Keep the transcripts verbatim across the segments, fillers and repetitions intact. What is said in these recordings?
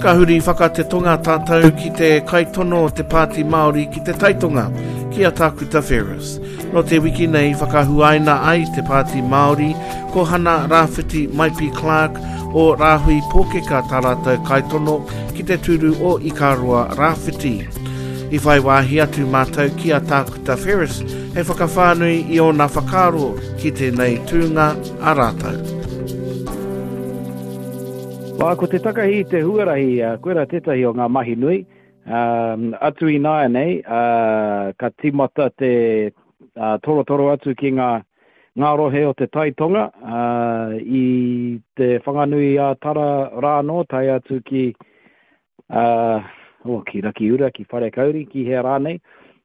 Ka huri whakatetonga tātou ki te kaitono o te Pāti Māori ki te Taitonga, ki a Tākuta Ferris. Nō te wiki nei whakahuaina ai te Pāti Māori ko Hana Rāwhiti Maipi Clark o Rāhui Pōkeka tā rātou kaitono ki te tūru o Ikaroa Rāwhiti. I whai wāhi atu mātou ki a Tākuta Ferris hei whakawhānui i ōna whakaaro ki tēnei tūnga a rātou. Wā, ko te takahi i te huarahi, uh, koira tētahi o ngā mahi nui. Um, atu i nāianei, uh, ka tīmata te uh, torotoro atu ki ngā, ngā rohe o te Taitonga, uh, i te Whanganui a Tara rā anō, tae atu ki, uh, oh, ki Rakiura, ki Wharekauri, ki hea rānei,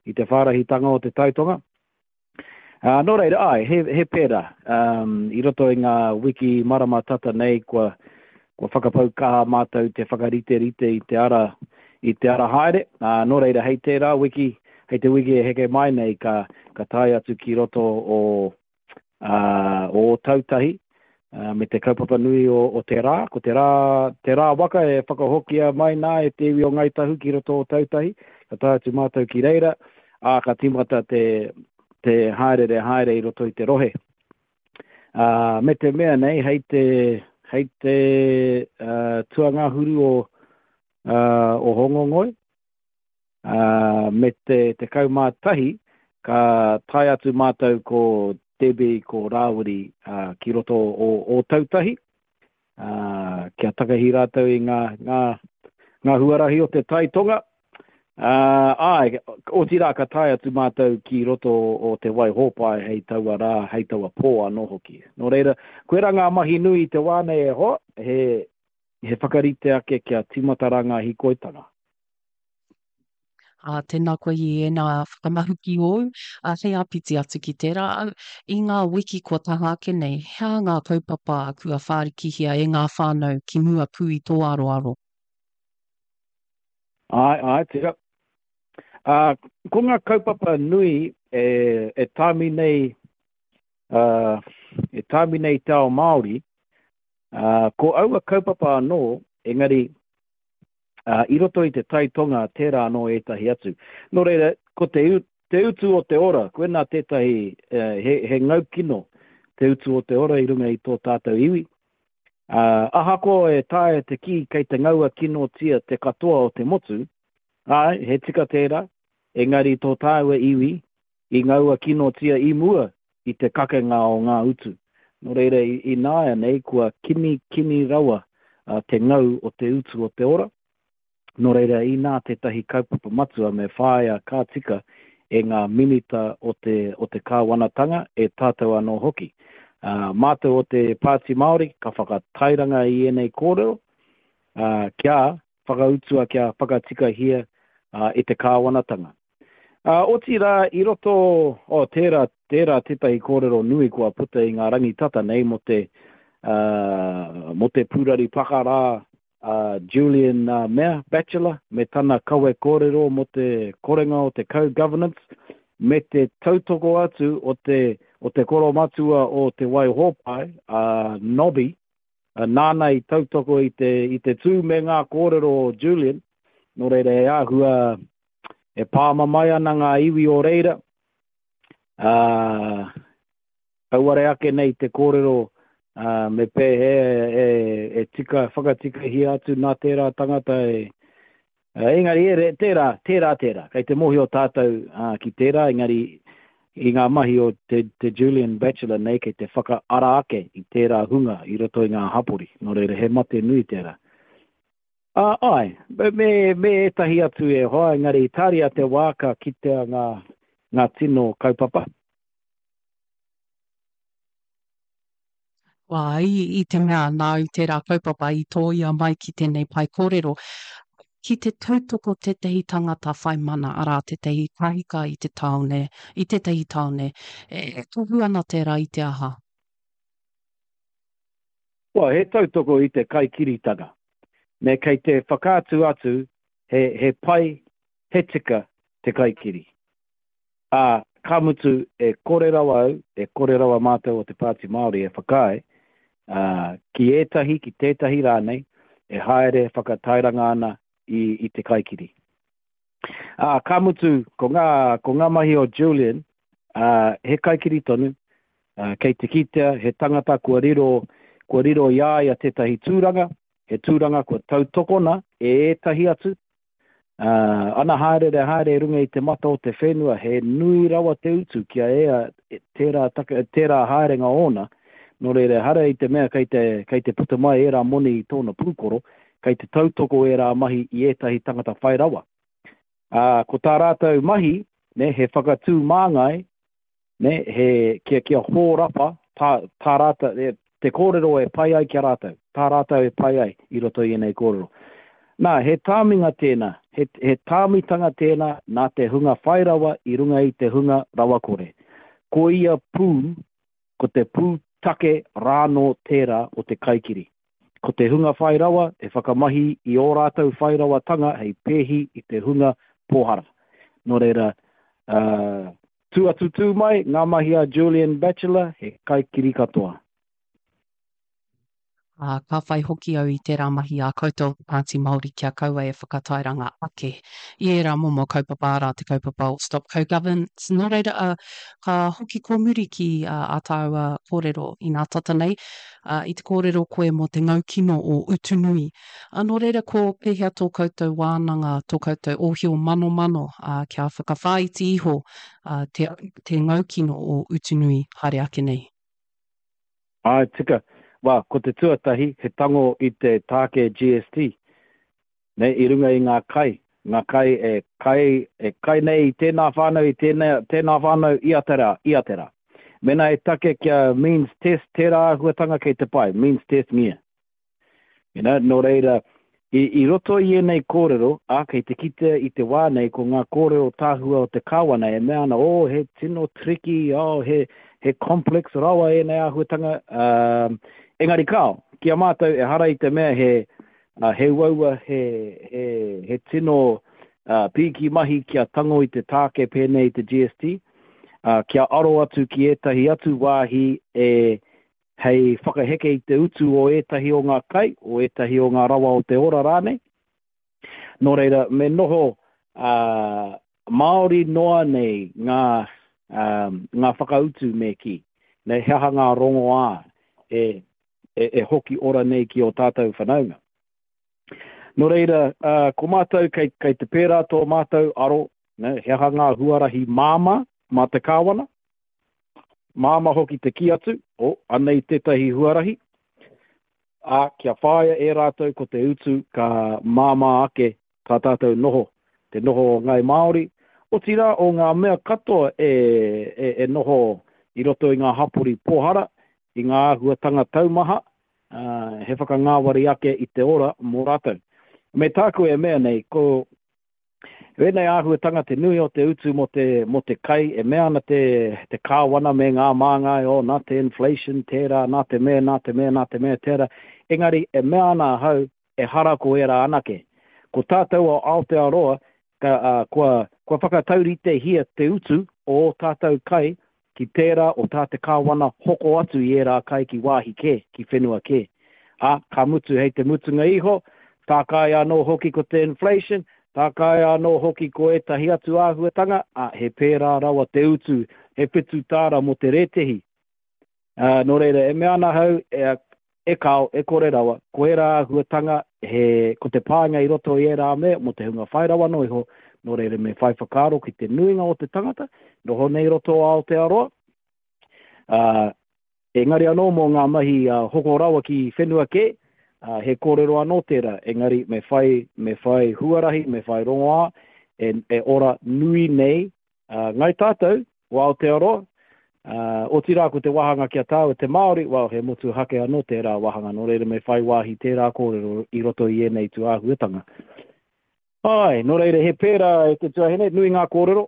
i te whārahitanga o te Taitonga. Uh, nō reira, ai, he, he pērā. Um, i roto i ngā wiki marama tata nei, kua, kua whakapau kaha mātou te whakariterite i te ara, i te ara haere. Uh, nō reira, hei tērā wiki, hei te wiki e heke mai nei, ka, ka tae atu ki roto o, uh, o Ōtautahi, uh, me te kaupapa nui o, o te rā. Ko te rā, te rā waka e whakahokia mai nā e te iwi o Ngāi Tahu ki roto o Ōtautahi. Ka tae atu mātou ki reira, ā, ka tīmata te, te haerere haere i roto i te rohe. Uh, me te mea nei, hei te, hei te uh, tuangahuru o, uh, o Hongongoi, uh, me te tekau mā tahi, ka tae atu mātou ko Debbie, ko Rāwiri uh, ki roto o Ōtautahi, uh, kia takahi rātou i ngā, ngā, ngā huarahi o te Tai Tonga. Uh, āe, otirā ka tae atu mātou ki roto o Te Waihōpai hei taua rā, hei taua pō anō hoki. Nō reira, koirā ngā mahi nui i te wā nei e hoa, he, he whakarite ake kia tīmata rā ngā hīkoitanga. Ā, tēnā koe i ēnā whakamahuki ōu, ā, hei āpiti atu ki tērā, i ngā wiki kua taha ake nei, he aha ngā kaupapa kua whārikihia e ngā whānau ki mua pū i tō aroaro? Āe, āe, tika. Ā, ko ngā kaupapa nui e, e tāmi nei, ā, e tāmi nei te ao Māori, ā, ko aua kaupapa anō, engari, ā, i roto i te Tai Tonga tērā anō ētahi atu. Nō reira, ko te, te utu o te ora, koinā tētahi, he, he ngau kino te utu o te ora i runga i tō tātou iwi. Ā, ahakoa e taea te kī kei te ngaua kinotia te katoa o te motu, āe, he tika tērā, engari tō tāua iwi i ngaua kinotia i mua i te kakenga o ngā utu. Nō reira, ināianei kua kini, kini rawa te ngau o te utu o te ora. Nō reira, inā tētahi kaupapa matua me whāia ka tika e ngā minita o te, o te kāwanatanga, e tātou anō hoki. Ā, mātou o te Pāti Māori ka whakatairanga i ēnei kōrero, ā, kia whakautua, kia whakatikahia ā, e te kāwanatanga. Ā, otirā, i roto, oh, tērā, tērā tētahi kōrero nui kua puta i ngā rangi tata nei mō te, ā, mō te pūrari pakarā a Julian Mea, Batchelor, me tana kawe kōrero mō te korenga o te co-governance, me te tautoko atu o te, o te koromatua o Te Waihōpai, a Nobby, nāna i tautoko i te, i te tū me ngā kōrero o Julian, nō reira e āhua e pāmamae ana ngā iwi o reira, ā, Auare ake nei te kōrero, ā, me pēhea e, e tika, whakatikahia atu nā tērā tangata e, engari e, tērā, tērā, tērā. Kei te mōhio tātou ā, ki tērā, engari i ngā mahi o te, te Julian Batchelor nei kei te whakaara ake i tērā hunga i roto i ngā hapori. Nō reira, he mate nui tērā. Ā, āe, me, me ētahi atu e hoa, engari tāria te wā ka kitea ngā, ngā tino kaupapa. Wā, i, i te mea nāu tērā kaupapa i tōia mai ki tēnei pae kōrero, ki te tautoko tētahi tangata whai mana, arā, tētahi kahika i te tāone, i tētahi tāone, e, e tohu ana tērā i te aha? Well, he tautoko i te kaikiritanga. Me kei te whakaatu atu he, he pai, he tika te kaikiri. Ā, ka mutu, e kore rawa au, e kore rawa mātou o te Pāti Māori e whakaae, ā, ki ētahi, ki tētahi rānei, e haere whakatairanga ana i, i te kaikiri. Ā, ka mutu, ko ngā, ko ngā mahi o Julian, ā, he kaikiri tonu, ā, kei te kitea he tangata kua riro, kua riro i a ia tētahi tūranga, he tūranga kua tautokona e ētahi atu, ā, ana haereere haere i runga i te mata o te whenua, he nui rawa te utu kia ea tērā, taka, tērā haerenga ōna, nō reira ehara i te mea kei te, kei te puta mai ērā moni i tōna pūkoro, kei te tautoko ērā mahi i ētahi tangata whai rawa. Ā, ko tā rātou mahi, nē, he whakatū māngai, nē, he, kia, kia hōrapa tā, tā rātou, e, te kōrero e pai ai ki a rātou, tā rātou e pai ai i roto i ēnei kōrero. Nā, he tāminga tēnā, he, he tāmitanga tēnā nā te hunga whai rawa i runga i te hunga rawakore. Ko ia pū, ko te pūtake rānō tērā o te kaikiri. Ko te hunga whai rawa e whakamahi i ō rātou whai rawatanga hei pēhi i te hunga pōhara. Nō reira, ā, tū atu tū mai, ngā mahi a Julian Batchelor, he kaikiri katoa. Ā, ka whai hoki au i tērā mahi a koutou o te Pāti Māori kia kaua e whakatairanga ake i ērā momo kaupapa, arā te kaupapa o Stop Co-Governance. Nō reira, ā, ka hoki kōmuri ki ā, ā tāua kōrero inā tata nei, ā, i te kōrero koe mō te ngaukino o Utunui. Ā, nō reira, ko pēhea tō koutou wānanga, tō koutou ōhio manomano, ā, kia whakawhāiti iho, ā, te, te ngaukino o Utunui haere ake nei? Āe, tika. Well, ko te tuatahi, he tango i te tāke G S T, nē, i runga i ngā kai, ngā kai e kai, e kai nei i tēnā whānau, i tēnā, tēnā whānau, ia te rā, ia te rā. Mēnā e take kia means test tērā āhuatanga kei te pai, means test ngia. You know, nō reira, i, i roto i ēnei kōrero, ā, kei te kitea i te wā nei ko ngā kōrero tāhua o te kāwana e mea ana, oh, he tino tricky, oh, he, he complex rawa ēnei āhuatanga, ā, engari kāo, ki a mātou ehara i te mea he, uh, he uaua, he, he, he tino uh, pīki mahi kia tango i te tāke pēnei i te G S T, uh, kia aro atu ki ētahi atu wāhi e hei whakaheke i te utu o ētahi o ngā kai, o ētahi o ngā rawa o te ora rānei. Nō reira, me noho, uh, Māori noa nei ngā, um, ngā whakautu me kī. Nei, he aha ngā rongoā e, e, e hoki ora nei ki o tātou whanaunga. Nō reira, uh, ko mātou kei, kei te pērā tō mātou aro, ne, he aha ngā huarahi māmā mā te kāwana, māmā hoki te kī atu, o, anei tētahi huarahi, ā, kia whāia e rātou ko te utu ka māmā ake tā tātou noho, te noho o Ngāi Māori, otirā o ngā mea katoa e, e, e noho i roto i ngā hapori pōhara, i ngā āhuatanga taumaha, ā, he whakangāwari ake i te ora mō rātou. Me tāku e mea nei, ko wēnei āhuatanga te nui o te utu mō te, mō te kai, e mea ana te, te kāwana me ngā māngai, oh, nā te inflation tērā, nā te mea, nā te mea, nā te mea tērā. Engari, e mea ana ahau, e hara ko ērā anake. Ko tātou o Aotearoa, ka, uh, kua, kua whakatauritehia te utu o ō tātou kai ki tērā o tā te kāwana hoko atu i ērā kai ki wāhi kē, ki whenua kē. Ā, ka mutu hei te mutunga iho, tākai anō hoki ko te inflation, tākai anō hoki ko ētahi atu āhuatanga, ā, he pērā rawa te utu, he whitu tāra mō te rētehi. Ā, nō reira, e mea ana hau, e, e kao, e kore rawa, ko ērā āhuatanga, he, ko te pānga i roto i ērā mea, mō te hunga whai rawa noa iho, nō reira me whai whakaaro ki te nuinga o te tangata, noho nei roto o Aotearoa. Ā, engari anō mō ngā mahi, ā, hoko rawa ki whenua kē, ā, he kōrero anō tērā, engari me whai, me whai huarahi, me whai rongoā, e, e ora nui nei, ā, ngai tātou, o Aotearoa, ā, otirā ko te wāhanga ki a tāua te Māori, well, he motuhake anō tērā wāhanga, nō reira me whai wāhi tērā kōrero i roto i ēnei tūāhuatanga. Ai, nō reira, he pērā e te tuahine, nui ngā kōrero.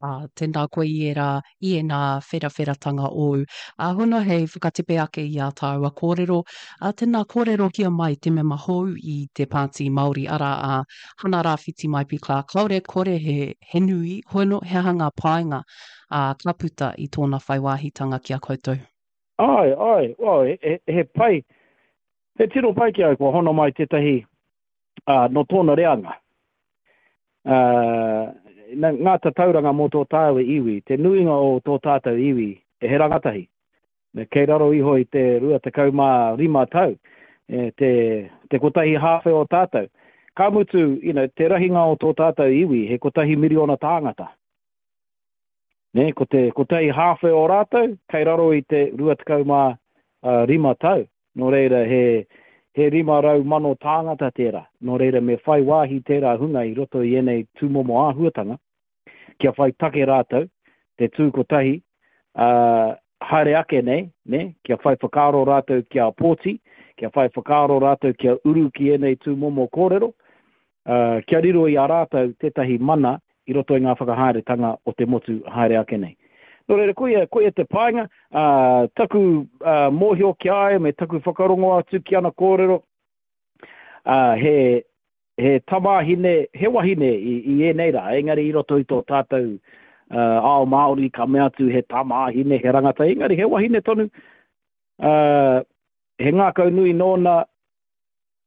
Ā, tēnā koe i ērā, i ēnā wherawheratanga ōu. Ā, hono hei whakatepe ake i ā tāua kōrero, ā, tēnā kōrerohia mai te mema hou i te Pāti Māori, arā a Hana Rāwhiti Maipi Clark. Kāore kore he, he nui, hono he aha ngā painga, ā, ka puta i tōna whai wāhitanga ki a koutou? Āe, āe, well, he, he, he pai, he tino pai ki au kua hono mai tētahi uh, nō tōna reanga. Uh, ngā tatauranga mō tō tāua iwi, te nuinga o tō tātou iwi, e he rangatahi. Me kei raro iho i te rua tekau mā rima tau, e, te, te kotahi hāwhe o tātou. Ka mutu, you know, te rahinga o tō tātou iwi, he kotahi miriona tāngata. Nē, ko te kotahi hāwhe o rātou, kei raro i te rua tekau mā rima tau. Nō reira, he, he rima rau mano tāngata tērā. Nō reira, me whai wāhi tērā hunga i roto i ēnei tūmomo āhuatanga, kia whai take rātou, te tū kotahi, ā, haere ake nei, nē, kia whai whakaaro rātou kia pōti, kia whai whakaaro rātou kia uru ki ēnei tūmomo kōrero, ā, kia riro i a rātou tētahi mana i roto i ngā whakahaeretanga o te motu haere ake nei. Nō reira, koia, koia te painga, ā, taku ā, mōhio ki a ia me taku whakarongo atu ki ana kōrero, ā, he, he tamāhine, he wahine i, i ēnei rā, engari i roto i tō tātou ā, ao Māori ka mea atu he tamāhine, he rangatahi, engari he wahine tonu, ā, he ngākau nui nōna,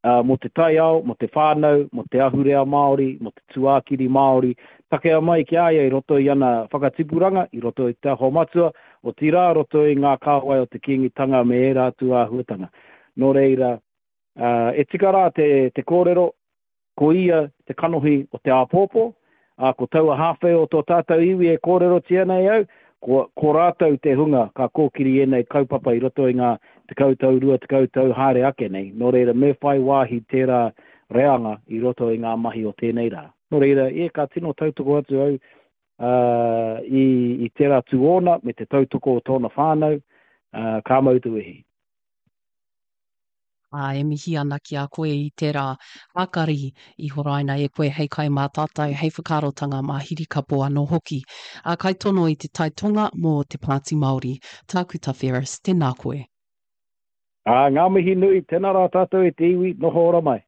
ā, mō te taiao, mō te whānau, mō te ahurea Māori, mō te tūākiri Māori, takea mai ki a ia i roto i ana whakatipuranga, i roto i Te Aho Matua, otirā, roto i ngā kāwai o te Kīngitanga me ērā atu āhuatanga. Nō reira, ā, e tika rā te, te kōrero, ko ia te kanohi o te āpōpō, ā, ko taua hāwhe o tō tātou iwi e kōrerotia nei au, ko, ko rātou te hunga ka kōkiri ēnei kaupapa i roto i ngā tekau tau, rua tekau tau haere ake nei, nō reira me whai wāhi tērā reanga i roto i ngā mahi o tēnei rā. Nō reira, e, ka tino tautoko atu au uh, i, i tērā tū ōna me te tautoko o tōna whānau, uh, ka mau te wehi. Ā, e mihi ana ki a koe i tērā hākari i horaina e koe hei kai mā tātou, hei whakaarotanga mā Hirikapo anō hoki. Ā, kaitono i te Tai Tonga mō te Pāti Māori, Tākuta Ferris, tēnā koe. Ā, ngā mihi nui, tēnā rā tātou e te iwi, noho ora mai.